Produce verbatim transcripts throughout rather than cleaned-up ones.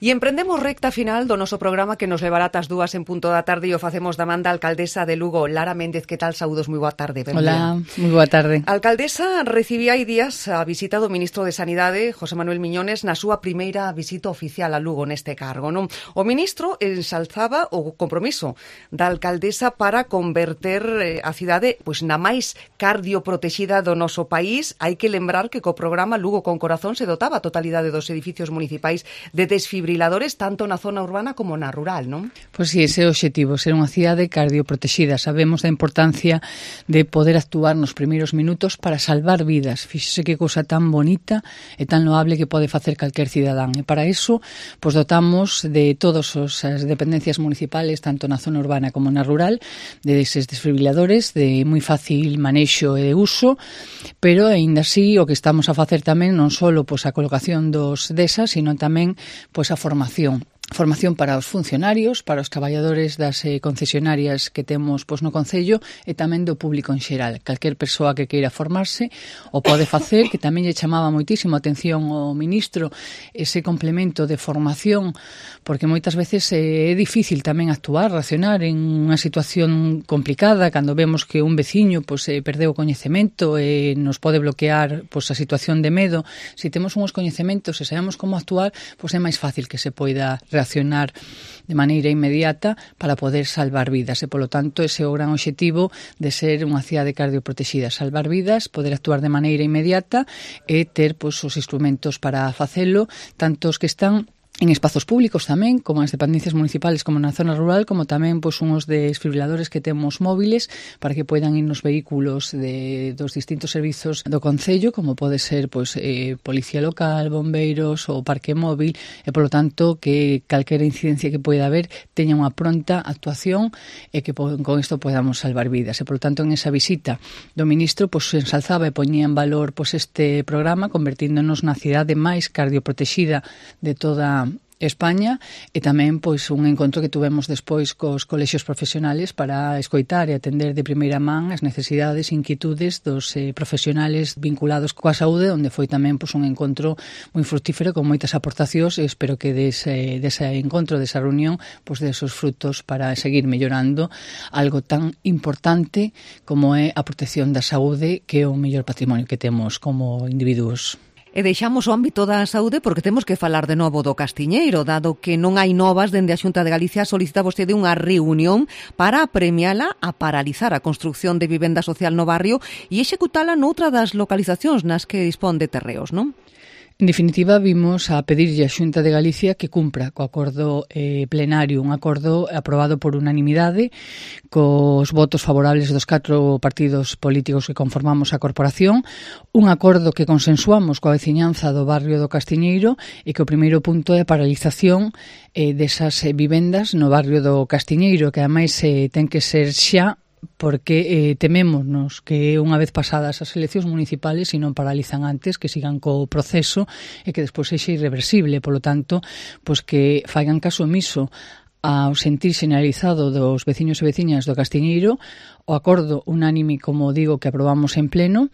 E emprendemos recta final do noso programa que nos levará ás dúas en punto da tarde e o facemos da man da alcaldesa de Lugo, Lara Méndez. Que tal? Saúdos, moi boa tarde. Hola, moi boa tarde. A alcaldesa recibía hai días a visita do ministro de Sanidade, José Manuel Miñones, na súa primeira visita oficial a Lugo neste cargo, non? O ministro ensalzaba o compromiso da alcaldesa para converter a cidade pois na máis cardioprotexida do noso país. Hai que lembrar que co programa Lugo con Corazón se dotaba a totalidade dos edificios municipais de desfibriladores tanto na zona urbana como na rural, non? Pois si, ese é o obxectivo, ser unha cidade cardioprotexida. Sabemos da importancia de poder actuar nos primeiros minutos para salvar vidas. Fíxese que cousa tan bonita e tan loable que pode facer calquer cidadán. E para iso, pois dotamos de todas as dependencias municipales, tanto na zona urbana como na rural, de eses desfibriladores de moi fácil manexo e uso, pero aínda así o que estamos a facer tamén non só pois a colocación dos desas, sino tamén pois a formación. Formación para os funcionarios, para os traballadores das eh, concesionarias que temos pois, no Concello e tamén do público en xeral. Calquer persoa que queira formarse o pode facer, que tamén lle chamaba moitísimo a atención ao ministro ese complemento de formación, porque moitas veces eh, é difícil tamén actuar, racionar en unha situación complicada, cando vemos que un veciño pois, eh, perdeu o coñecemento e nos pode bloquear pois, a situación de medo. Se temos uns coñecementos e sabemos como actuar, pois é máis fácil que se poida reaccionar de maneira inmediata para poder salvar vidas e, polo tanto, ese é o gran obxectivo de ser unha cidade cardioprotexida, salvar vidas, poder actuar de maneira inmediata e ter pois, os instrumentos para facelo, tanto os que están en espazos públicos tamén, como as dependencias municipales como na zona rural, como tamén pois, unhos desfibriladores que temos móviles para que poidan ir nos vehículos de, dos distintos servizos do Concello, como pode ser pois, eh, Policía Local, Bombeiros ou Parque Móvil, e polo tanto que calquera incidencia que poida haber teña unha pronta actuación e que con isto podamos salvar vidas. E polo tanto en esa visita do ministro pois, se ensalzaba e poñía en valor pois, este programa, convertíndonos na cidade máis cardioprotexida de toda España, e tamén pois un encontro que tuvemos despois cos colexios profesionales para escoitar e atender de primeira man as necesidades e inquietudes dos eh, profesionales vinculados coa saúde, onde foi tamén pois un encontro moi fructífero con moitas aportacións, e espero que dese, dese encontro, desa reunión, pois desos frutos para seguir mellorando algo tan importante como é a protección da saúde, que é o mellor patrimonio que temos como individuos. E deixamos o ámbito da saúde porque temos que falar de novo do Castiñeiro, dado que non hai novas dende a Xunta de Galicia. Solicita vostede unha reunión para premiala a paralizar a construción de vivenda social no barrio e executala noutra das localizacións nas que dispón de terreos, non? En definitiva, vimos a pedirlle a Xunta de Galicia que cumpra co acordo eh, plenario, un acordo aprobado por unanimidade cos votos favorables dos catro partidos políticos que conformamos a corporación, un acordo que consensuamos coa veciñanza do barrio do Castiñeiro e que o primeiro punto é a paralización eh, desas eh, vivendas no barrio do Castiñeiro, que ademais eh, ten que ser xa, porque eh, temémonos que unha vez pasadas as eleccións municipales, se non paralizan antes, que sigan co proceso e que despois sexa irreversible. Polo tanto, pois que faigan caso omiso ao sentir xeneralizado dos veciños e veciñas do Castiñeiro, o acordo unánime, como digo, que aprobamos en pleno.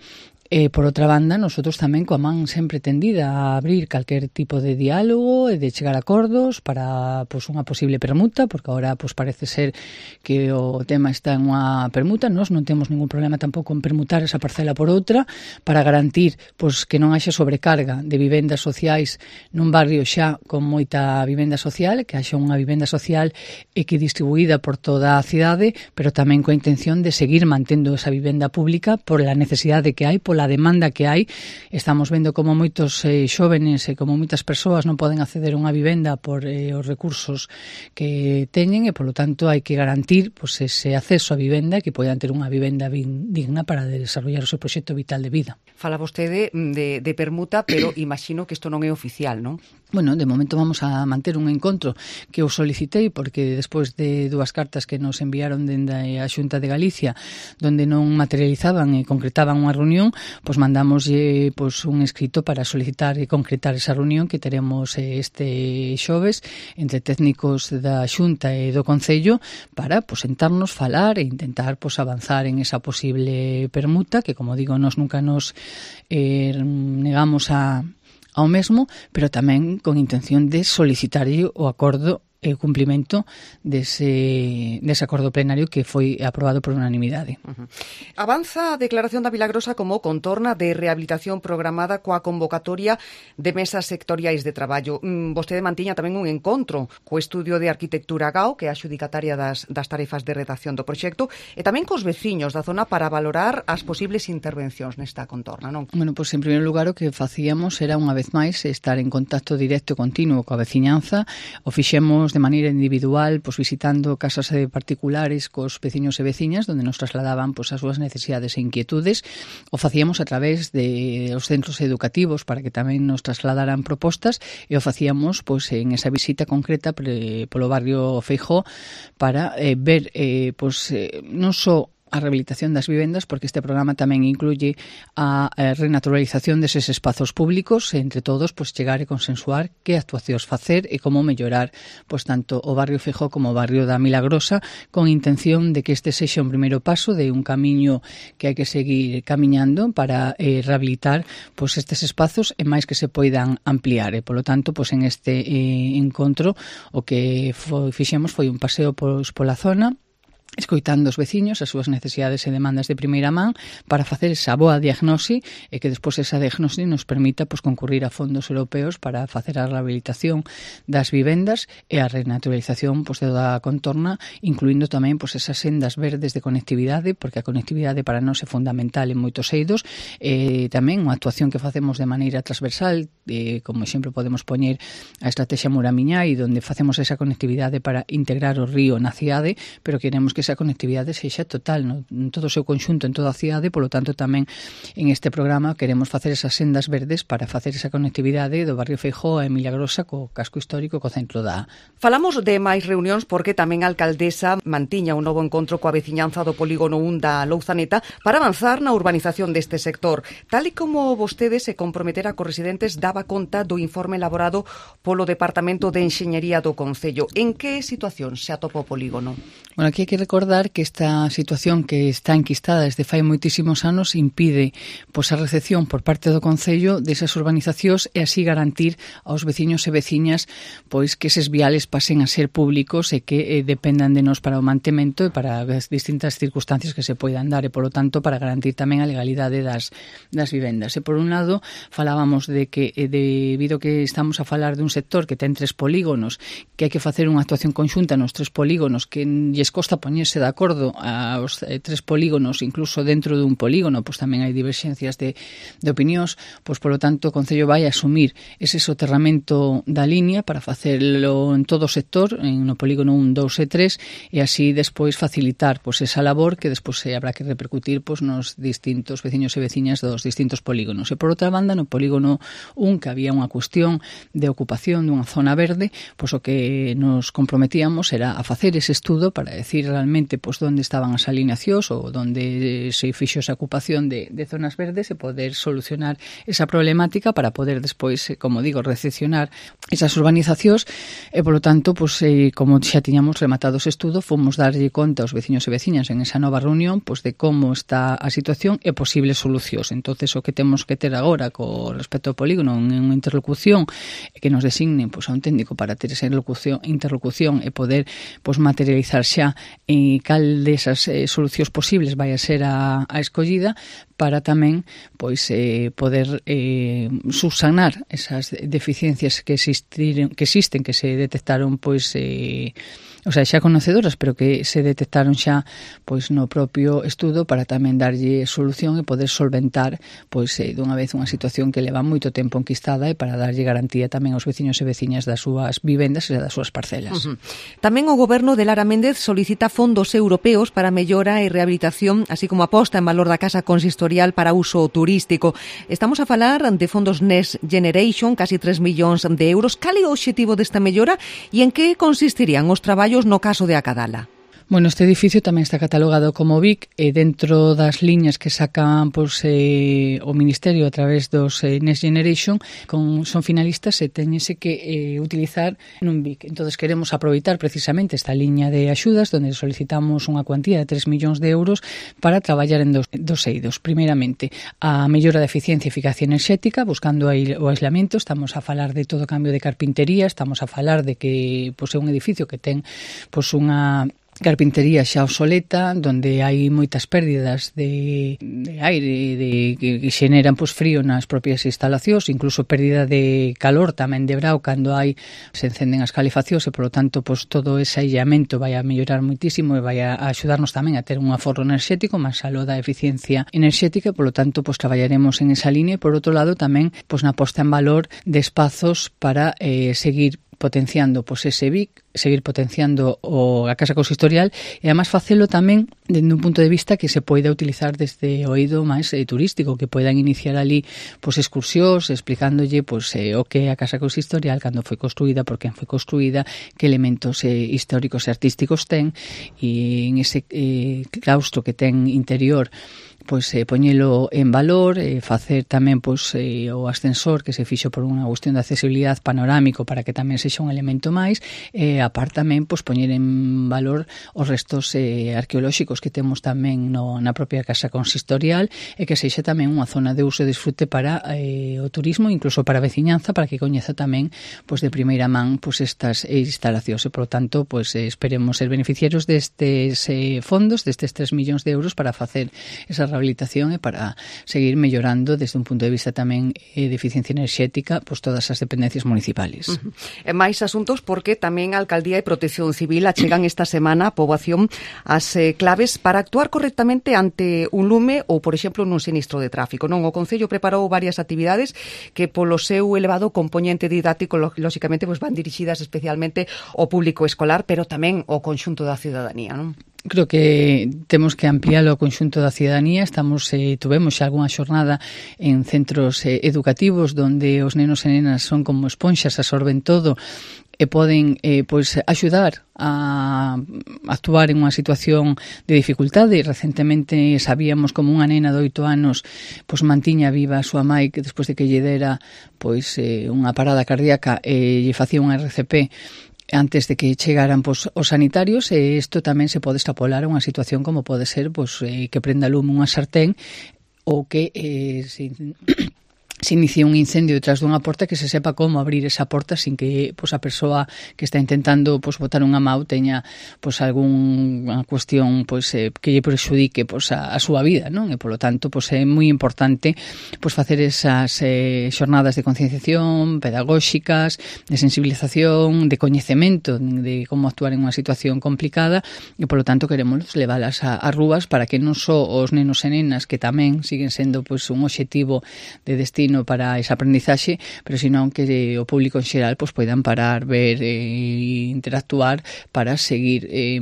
E, por outra banda, nosotros tamén coa man sempre tendida a abrir calquer tipo de diálogo e de chegar a acordos para pois, unha posible permuta, porque agora pois, parece ser que o tema está en unha permuta. Nós non temos ningún problema tampouco en permutar esa parcela por outra para garantir pois, que non haxa sobrecarga de vivendas sociais nun barrio xa con moita vivenda social, que haxa unha vivenda social e que distribuída por toda a cidade, pero tamén coa intención de seguir mantendo esa vivenda pública por la necesidade que hai, pola a demanda que hai. Estamos vendo como moitos eh, xóvenes e como moitas persoas non poden acceder a unha vivenda por eh, os recursos que teñen, e polo tanto hai que garantir pois, ese acceso a vivenda, que poidan ter unha vivenda digna para desarrollar o seu proxecto vital de vida. Fala vostede de, de permuta, pero imagino que isto non é oficial, non? Bueno, de momento vamos a manter un encontro que eu solicitei, porque despois de dúas cartas que nos enviaron dende a Xunta de Galicia, donde non materializaban e concretaban unha reunión, pois mandamos pois, un escrito para solicitar e concretar esa reunión que teremos este xoves entre técnicos da Xunta e do Concello para pois, sentarnos, falar e intentar pois, avanzar en esa posible permuta, que, como digo, nós nunca nos eh, negamos a ao mesmo, pero tamén con intención de solicitarlle o acordo e o cumprimento dese, dese acordo plenario que foi aprobado por unanimidade. Uh-huh. Avanza a declaración da Vilagrosa como contorna de rehabilitación programada coa convocatoria de mesas sectoriais de traballo. Mm, vostede mantiña tamén un encontro co Estudio de Arquitectura G A O, que é a xudicataria das, das tarefas de redacción do proxecto, e tamén cos veciños da zona para valorar as posibles intervencións nesta contorna, non? Bueno, pois en primeiro lugar o que facíamos era unha vez máis estar en contacto directo e continuo coa veciñanza. O fixemos de maneira individual, pois visitando casas particulares cos veciños e veciñas, onde nos trasladaban pois as súas necesidades e inquietudes. O facíamos a través de os centros educativos para que tamén nos trasladaran propostas, e o facíamos pois en esa visita concreta pre, polo barrio Feijóo para eh, ver eh, pois eh, non só a rehabilitación das vivendas, porque este programa tamén incluye a, a renaturalización deses espazos públicos, e entre todos pois chegar e consensuar que actuacións facer e como mellorar pois tanto o barrio Feijóo como o barrio da Milagrosa, con intención de que este sexa un primeiro paso de un camiño que hai que seguir camiñando para eh, rehabilitar pois estes espazos e máis que se poidan ampliar. E polo tanto, pois en este eh, encontro o que foi, fixemos foi un paseo pois pola zona, escoitando os veciños, as súas necesidades e demandas de primeira man, para facer esa boa diagnosi e que despois esa diagnosi nos permita pois, concurrir a fondos europeos para facer a rehabilitación das vivendas e a renaturalización pois, de toda a contorna, incluindo tamén pois, esas sendas verdes de conectividade, porque a conectividade para nós é fundamental en moitos eidos, e tamén unha actuación que facemos de maneira transversal, eh, como exemplo podemos poñer a estrategia Muramiñai, onde facemos esa conectividade para integrar o río na cidade, pero queremos que esa conectividade sexa total, no, en todo o seu conxunto, en toda a cidade, polo tanto tamén en este programa queremos facer esas sendas verdes para facer esa conectividade do barrio Feijóo a Milagrosa co casco histórico, co centro da... Falamos de máis reunións porque tamén a alcaldesa mantiña un novo encontro coa veciñanza do polígono un da Louzaneta para avanzar na urbanización deste sector. Tal e como vostede se comprometera cos residentes, daba conta do informe elaborado polo Departamento de Enxeñería do Concello. En que situación se atopa o polígono? Bueno, aquí hai que recordar que esta situación que está enquistada desde fai moitísimos anos impide pois, a recepción por parte do Concello desas urbanizacións e así garantir aos veciños e veciñas pois que eses viales pasen a ser públicos e que eh, dependan de nós para o mantemento e para as distintas circunstancias que se poidan dar e, polo tanto, para garantir tamén a legalidade das, das vivendas. E, por un lado, falábamos de que, eh, debido que estamos a falar de un sector que ten tres polígonos, que hai que facer unha actuación conxunta nos tres polígonos, que lles costa poñerse de acordo aos eh, tres polígonos, incluso dentro dun polígono, pois tamén hai diverxencias de, de opinións, pois polo tanto o Concello vai asumir ese soterramento da línea para facelo en todo o sector, en no polígono un, dous e tres, e así despois facilitar pois esa labor que despois se habrá que repercutir pois nos distintos veciños e veciñas dos distintos polígonos. E por outra banda, no polígono un, que había unha cuestión de ocupación dunha zona verde, pois o que nos comprometíamos era a facer ese estudo para decir realmente pois onde estaban as alineacións ou onde se fixo esa ocupación de, de zonas verdes e poder solucionar esa problemática para poder despois, como digo, recepcionar esas urbanizacións e, polo tanto, pois, eh, como xa tiñamos rematado ese estudo, fomos darlle conta aos veciños e veciñas en esa nova reunión pois de como está a situación e posibles solucións. Entonces, o que temos que ter agora co respecto ao polígono en unha interlocución que nos designen pois, a un técnico para ter esa interlocución, interlocución e poder pois, materializar xa e cal desas eh, solucións posibles vai a ser a, a escollida para tamén pois eh, poder eh, subsanar esas deficiencias que existiron, que existen, que se detectaron pois eh, o sea, xa conocedoras, pero que se detectaron xa pois no propio estudo para tamén darlle solución e poder solventar pois eh, dunha vez unha situación que leva moito tempo enquistada e para darlle garantía tamén aos veciños e veciñas das súas vivendas e das súas parcelas. Uh-huh. Tamén o goberno de Lara Méndez solicita fondos europeos para mellora e rehabilitación, así como aposta en valor da casa consistorial para uso turístico. Estamos a falar de fondos Next Generation, casi tres millóns de euros. Cal é o obxectivo desta mellora e en que consistirían os traballos no caso de acadala? Bueno, este edificio tamén está catalogado como B I C e dentro das liñas que sacan pois, eh, o Ministerio a través dos eh, Next Generation con, son finalistas e teñese que eh, utilizar nun B I C. Entón, queremos aproveitar precisamente esta liña de axudas donde solicitamos unha cuantía de tres millóns de euros para traballar en dos, dos eidos. Primeiramente, a mellora da eficiencia e eficacia enerxética, buscando o aislamento. Estamos a falar de todo o cambio de carpintería, estamos a falar de que pois, é un edificio que ten pois, unha carpintería xa obsoleta, donde hai moitas pérdidas de, de aire de, que, que xeneran pois, frío nas propias instalacións, incluso pérdida de calor tamén de brao cando hai se encenden as calefaccións e, polo tanto, pois, todo ese aillamento vai a mellorar moitísimo e vai a axudarnos tamén a ter un aforro enerxético, máis aló da eficiencia enerxética e, polo tanto, pois, traballaremos en esa línea e, por outro lado, tamén pois, na posta en valor de espazos para eh, seguir potenciando pois, ese B I C, seguir potenciando o, a Casa Consistorial e además facelo tamén dende un punto de vista que se poida utilizar desde o eido máis eh, turístico, que poidan iniciar ali pois, excursións explicándolle pois, eh, o que é a Casa Consistorial, cando foi construída, por quen foi construída, que elementos eh, históricos e artísticos ten, e en ese eh, claustro que ten interior pois eh, poñelo en valor, eh, facer tamén pois eh, o ascensor que se fixo por unha cuestión de accesibilidade panorámico para que tamén sexa un elemento máis, e eh, aparte tamén pois poñer en valor os restos eh, arqueolóxicos que temos tamén no, na propia Casa Consistorial e que sexa tamén unha zona de uso e disfrute para eh, o turismo, incluso para a veciñanza, para que coñeza tamén pois de primeira man pois estas instalacións e, por tanto, pois eh, esperemos ser beneficiarios destes eh, fondos, destes tres millóns de euros para facer esa rehabilitación e para seguir mellorando desde un punto de vista tamén eh, de eficiencia enerxética pois todas as dependencias municipales. Uh-huh. E máis asuntos porque tamén a Alcaldía e Protección Civil achegan esta semana a poboación as eh, claves para actuar correctamente ante un lume ou, por exemplo, nun sinistro de tráfico. Non, o Concello preparou varias actividades que polo seu elevado componente didáctico lóxicamente pois van dirixidas especialmente ao público escolar, pero tamén ao conxunto da ciudadanía, non? Creo que temos que ampliálo ao conxunto da ciudadanía. Estamos, eh, tuvemos xa algunha xornada en centros eh, educativos donde os nenos e nenas son como esponxas, absorben todo e poden eh, pois, axudar a actuar en unha situación de dificultade. Recentemente sabíamos como unha nena de oito anos pois, mantiña viva a súa mãe que despois de que lle dera pois, eh, unha parada cardíaca e lle facía un R C P antes de que chegaran pois, os sanitarios, e isto tamén se pode extrapolar a unha situación como pode ser pois, eh, que prenda lume unha sartén ou que eh, se, se inicie un incendio detrás dunha porta, que se sepa como abrir esa porta sin que pois, a persoa que está intentando pois, botar unha mau teña pois, algunha cuestión pois, eh, que lle prexudique pois, a, a súa vida, non? E, polo tanto, pois, é moi importante pois, facer esas eh, xornadas de concienciación pedagóxicas, de sensibilización, de coñecemento de como actuar en unha situación complicada, e, polo tanto, queremos leválas a, a rúas para que non só os nenos e nenas, que tamén siguen sendo pois, un obxectivo de destino para esa aprendizaxe, pero senón que o público en xeral pois, poidan parar, ver e interactuar para seguir eh,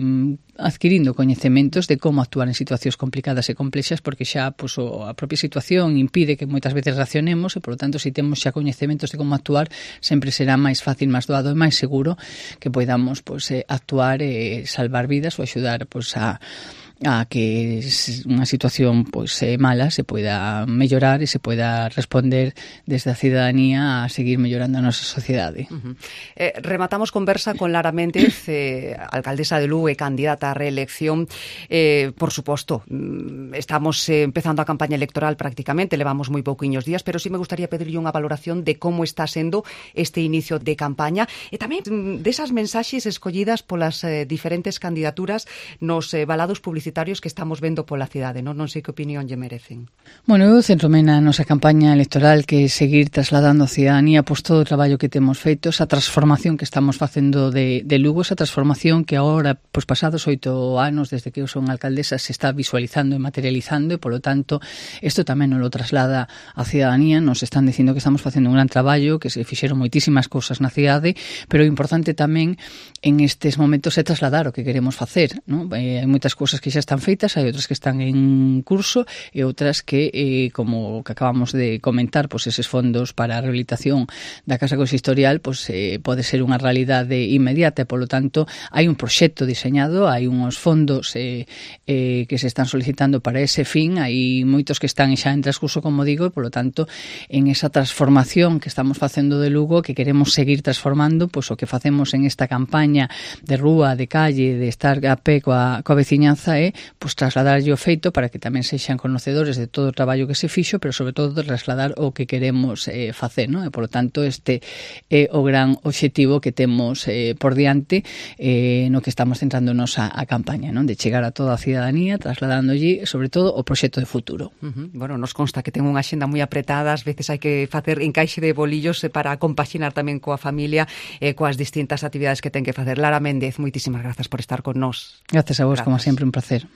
adquirindo coñecementos de como actuar en situacións complicadas e complexas, porque xa pois, a propia situación impide que moitas veces reaccionemos e, por lo tanto, se temos xa coñecementos de como actuar, sempre será máis fácil, máis doado e máis seguro que podamos pois, actuar e salvar vidas ou axudar pois, a a que unha situación pois eh, mala se poida mellorar e se poida responder desde a ciudadanía a seguir mellorando a nosa sociedade. Uh-huh. eh, rematamos conversa con Lara Méndez, eh, alcaldesa de Lugo e candidata a reelección. Eh, por suposto, estamos eh, empezando a campaña electoral prácticamente, levamos moi pouquiños días, pero sí me gustaría pedirlle unha valoración de como está sendo este inicio de campaña e tamén desas mensaxes escollidas polas eh, diferentes candidaturas nos eh, balados publicitarios que estamos vendo pola cidade, non? Non sei que opinión lle merecen. Bueno, eu centrome na nosa campaña electoral, que é seguir trasladando a ciudadanía pois todo o traballo que temos feito, esa transformación que estamos facendo de, de Lugo, esa transformación que agora, pois pasados oito anos desde que eu son alcaldesa, se está visualizando e materializando, e polo tanto isto tamén nos lo traslada a ciudadanía. Nos están dicindo que estamos facendo un gran traballo, que se fixeron moitísimas cousas na cidade, pero o importante tamén en estes momentos é trasladar o que queremos facer, non? Eh, hai moitas cousas que xa xa están feitas, hai outras que están en curso e outras que, eh, como que acabamos de comentar, pois eses fondos para a rehabilitación da Casa Consistorial pois, eh, pode ser unha realidade inmediata e, polo tanto, hai un proxecto diseñado, hai unhos fondos eh, eh, que se están solicitando para ese fin, hai moitos que están xa en transcurso, como digo, e, polo tanto, en esa transformación que estamos facendo de Lugo, que queremos seguir transformando, pois o que facemos en esta campaña de rúa, de calle, de estar a pé coa, coa veciñanza é pois trasladarlle o feito para que tamén sexan conocedores de todo o traballo que se fixo, pero sobre todo trasladar o que queremos eh, facer, non? E, por lo tanto, este é o gran obxectivo que temos eh, por diante eh, no que estamos centrándonos a, a campaña, non? De chegar a toda a cidadanía, trasladándolle, sobre todo, o proxecto de futuro. Uh-huh. Bueno, nos consta que ten unha axenda moi apretada, ás veces hai que facer encaixe de bolillos para compaxinar tamén coa familia e eh, coas distintas actividades que ten que facer. Lara Méndez, moitísimas grazas por estar con nós. Gracias a vos, Grazas. como sempre, un placer.